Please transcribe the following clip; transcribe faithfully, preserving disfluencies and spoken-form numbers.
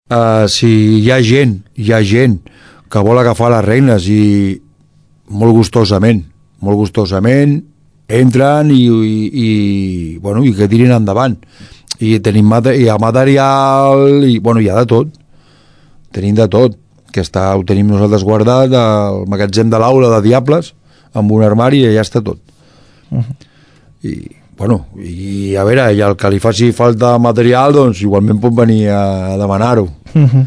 uh, si hi ha gent, hi ha gent que vol agafar les regnes i molt gustosament, molt gustosament entren i, i, i, bueno, i que tirin endavant. I tenim mate hi ha material i bueno, hi ha de tot, tenim de tot, que està, ho tenim nosaltres guardat al magatzem de l'aula de Diables amb un armari i allà està tot. Uh-huh. I bueno, i a veure, i el que li faci falta material doncs igualment pot venir a demanar-ho. Uh-huh.